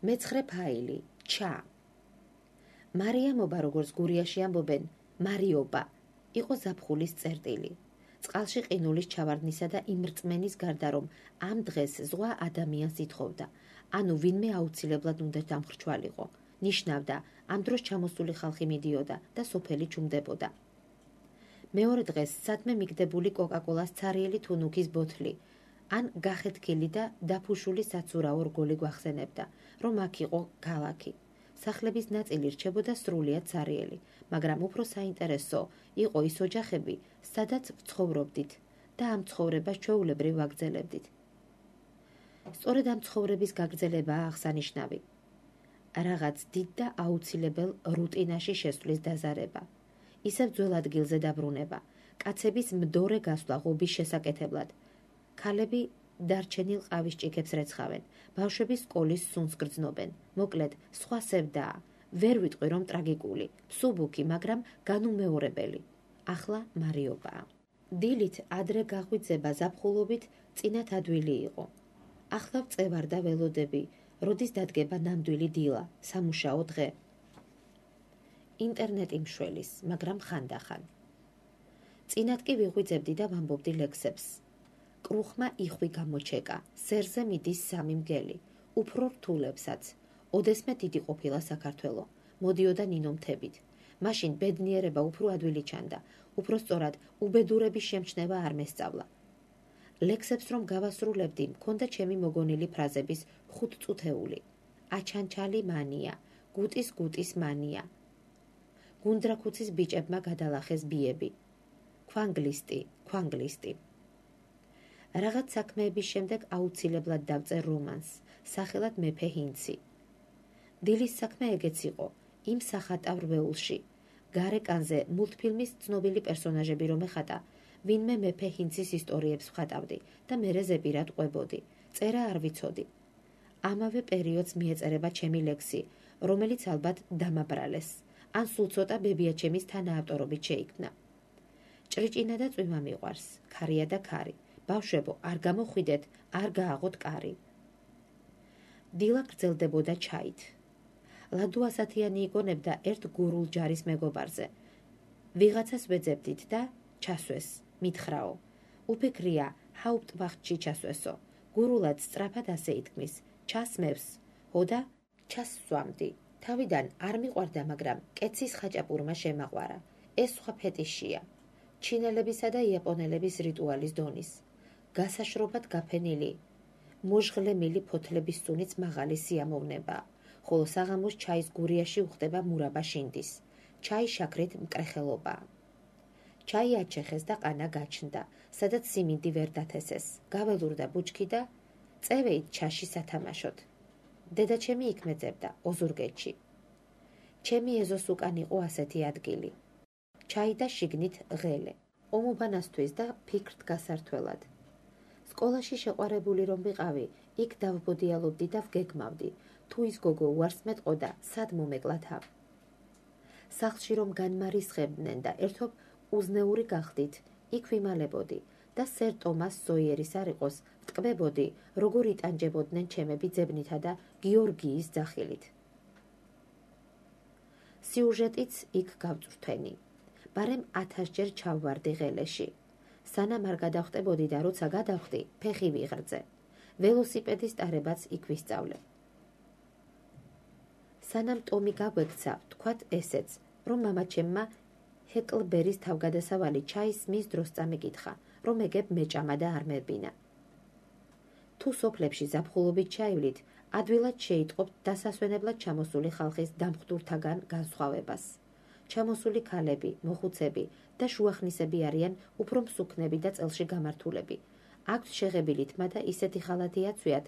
მეცხრე ფაილი ჩა. მარიამობა, როგორც გურიაში ამბობენ, მარიობა, იყო ზაფხულის წერტილი. წყალში ყინულის ჩავარდნისა და იმ რწმენის გარდა, რომ ამ დღეს ზღვა ადამიანს ითხოვდა, ანუ ვინმე აუცილებლად უნდა დამხრჩვალიყო. ნიშნავდა, ამ დროს ჩამოსული ხალხი მიდიოდა და სოფელი ჩუმდებოდა. მეორე დღეს სადმე მიგდებული კოკაკოლას ცარიელი თუნუქის ბოთლი, ან გახეთქილი და დაფუშული საცურაო რგოლი გვახსენებდა, რომ აქ იყო ქალაქი. სახლების ნაწილი რჩებოდა სრულიად ცარიელი, მაგრამ უფრო საინტერესო იყო ის ოჯახები, სადაც ვცხოვრობდით და ამ ცხოვრებას ჩვეულებრივ ვაგრძელებდით. სწორედ ამ ცხოვრების გაგრძელებაა აღსანიშნავი. რაღაც დიდ და აუცილებელ რუტინაში შესვლის დაზარება. ისევ ძველ ადგილზე დაბრუნება, კაცების მდორე გასვლა ღობის შესაკეთებლად. ქალები დარჩენილ ყავის ჭიქებს რეცხავენ, ბავშვები სკოლის სუნს გრძნობენ. მოკლედ, სხვა სევდაა. ვერ ვიტყვი, რომ ტრაგიკული, მსუბუქი, მაგრამ განუმეორებელი. ახლა მარიობაა. დილით ადრე გაღვიძება ზაფხულობით წინათ ადვილი იყო. ახლა ვწევარდა ველოდები, როდის დადგება ნამდვილი დილა, სამუშაო დღე. ინტერნეტი მშველის, მაგრამ ხანდახან. წინათ კი ვიღვიძებდი და ვამბობდი ლექსებს. კრუხმა იხვი გამოჩეკა, სერზე მიდის 3 მგელი, უფრო რთულებსაც. ოდესმე დიდი ყოფილა საქართველო, მოდიოდა ნინომთებით. მაშინ ბედნიერება უფრო ადვილი ჩანდა, უფრო სწორად უბედურების შემჩნევა არ მესწავლა. ლექსებს რომ გავასრულებდი, მქონდა ჩემი მოგონილი ფრაზების 5 წუთეული. აჩანჩალი მანია, გუტის მანია. გუნდრაქუცის ბიჭებმა გადალახეს ბიები. ქვანგლისტი. რაღაც საქმეების შემდეგ აუცილებლად დავწერ რომანს, სახელად მეფე ჰინცი. დილის საქმე ეგეც იყო, იმ სახატავ რვეულში. გარეკანზე მულტფილმის ცნობილი პერსონაჟები რომ ეხატა, ვინმე მეფე ჰინცის ისტორიებს ვხატავდი და მერე ზეპირად ყვებოდი. წერა არ ვიცოდი. ამავე პერიოდს მიეწერება ჩემი ლექსი, რომელიც ალბათ დამაბრალეს, ან სულ ცოტა ბებიაჩემის თანაავტორობით შეიქმნა. ჭრიჭინა და წვიმა მიყვარს, ქარია და ქარი. ბავშვებო, არ გამოხვიდეთ, არ გააღოთ კარი. დილა გრძელდებოდა ჩაით. ლადო ასათიანი იგონებდა ერთ გურულ ჯარის მეგობარზე. ვიღაცას ვეძებდით და ჩასვეს, მითხრაო. უფიქრია, ჰაუპტვახტში ჩასვესო. გურულად სწრაფად ასე ითქმის, ჩასმევს, ჰოდა ჩასვამდი. თავიდან არ მიყვარდა, მაგრამ კეცის ხაჭაპურმა შემაყვარა. ეს სხვა ფეტიშია. ჩინელებისა და იაპონელების რიტუალის დონის. გასაშრობად გაფენილი, მოჟღლემილი ფოთლების სუნიც მაღალი სიამოვნება, ხოლო საღამოს ჩაის გურიაში უხდება მურაბა შინდის. ჩაი შაქრით მკრეხელობა. ჩაი აჩეხეს და ყანა გაჩნდა, სადაც სიმინდი ვერ დათესეს. გაველურდა ბუჩქი და წევეით ჩაში სათამაშოდ. დედაჩემი იქ მეძებდა, ოზურგეთში. ჩემი ეზოს უკან იყო ასეთი ადგილი. ჩაი და შიგნით ღელე. ომობანასთვის და ფიქრთ გასართველად. სკოლაში შეყვარებული რომ ვიყავი, იქ დავბოდიალობდი და ვგეგმავდი. თუ ის გოგო უარს მეტყოდა, სად მომეკლა თავ. სახლში რომ განმარისხებდნენ და ერთობ უზნეური გახდით, იქ ვიმალებოდი და სერ ტომას სოიერის არ იყოს, ვტკბებოდი, როგორ იტანჯებოდნენ ჩემები ძებნითა და გიორგიის ძახილით. სიუჟეტიც იქ გავწვრთვენი. ბარემ 1000-ჯერ ჩავვარდი ღელეში. სანამ არ გადავხტებოდი და როცა გადავხდი, ფეხი ვიღრძე. ველოსიპედის ტარებაც იქ ვისწავლე. სანამ ტომი გაგვექცა, ვთქვათ ესეც, რომ მამაჩემმა ჰეკლბერის თავგადასავალი ჩაის მის დროს წამიკითხა, რომ ეგებ მეჭამა და არ მებინა. თუ სოფლებში ზაფხულობით ჩაივლით, ადვილად შეიტყობთ დასასვენებლად ჩამოსული ხალხის დამხტურთაგან განსხვავებას. ჩამოსული ქალები, მოხუცები და შუახნისები არიან უფრო მსუქნები და წელში გამართულები. აქვთ შეღებილი თმა და ისეთი ხალათი აცვიათ,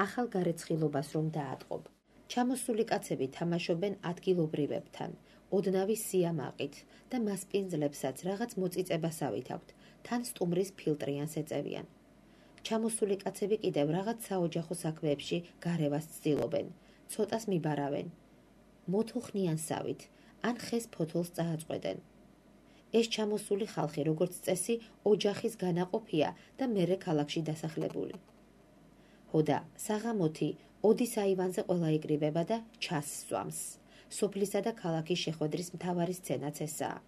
ახალ გარეცხილობას რომ დაატყობ. ჩამოსული კაცები თამაშობენ ადგილობრივებთან, ოდნავი სიამაყით და მასპინძლებსაც რაღაც მოწიწებასავით აქვთ, თან სტუმრის ფილტრიანს ეწევიან. ჩამოსული კაცები კიდევ რაღაც საოჯახო საქმეებში გარევას ცდილობენ, ცოტას მიბარავენ, მოთოხნიან სავით, ან ხეს ფოთოლს წააწყვეტენ. ეს ჩამოსული ხალხი, როგორც წესი, ოჯახის განაყოფია და მერე ქალაქში დასახლებული. ჰოდა საღამოთი ოდის აივანზე ყველა იკრიბება და ჩასსვამს. სოფლისა და ქალაქის შეხვედრის მთავარი სცენაც ესაა.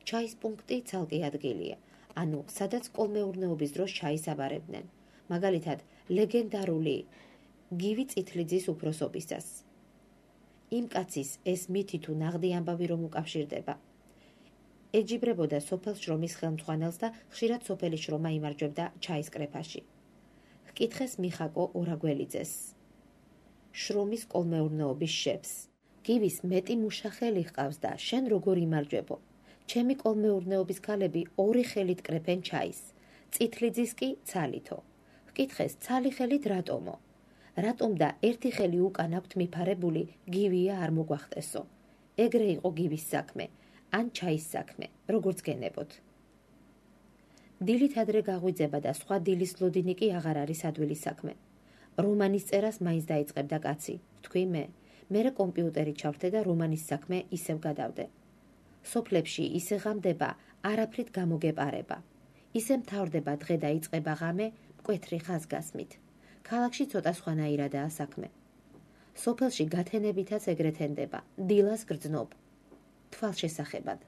ჩაის პუნქტი ცალკე ადგილია, ანუ სადაც კოლმეურნეობის დროს ჩაის აბარებდნენ, მაგალითად ლეგენდარული გივი წითლიძის უფროსობისას. იმ კაცის ეს მითი თუ ნაღდი ამბავი რომ უკავშირდება. ეჯიბრებოდა სოფელ შრომის ხელმძღვანელს და ხშირად სოფელი შრომა იმარჯვებდა ჩაის კრეფაში. ჰკითხეს მიხაკო ორაგველიძეს, შრომის კოლმეურნეობის შეფს. გივის მეტი მუშახელი ჰყავს და შენ როგორ იმარჯვებო? ჩემი კოლმეურნეობის ქალები ორი ხელით კრეფენ ჩაის, წითლიძის კი ცალითო. ჰკითხეს ცალი ხელით რატომო? რატომ და ერთი ხელი უკან აქვთ მიფარებული გივია არ მოგვახტესო. ეგრე იყო გივის საქმე, ან ჩაის საქმე, როგორც გენებოთ. დილით ადრე გაღვიძება და სხვა დილის ლოდინი კი აღარ არის ადვილის საქმე. რომანის წერას მაინც დაიწყებდა კაცი, ვთქვი მერე კომპიუტერი ჩავრთე და რომანის საქმე ისევ გადავდე. სოფლებში ისე ღამდება, არაფრით გამოგეპარება. ისე მთავრდება დღე და იწყება ღამე, მკვეთრი ხაზგასმით. ქალაქში ცოტა სხვანაირადაა საქმე. სოფელში გათენებითაც ეგრეთ ენდება, დილას გრძნობ. თვალშესახებად.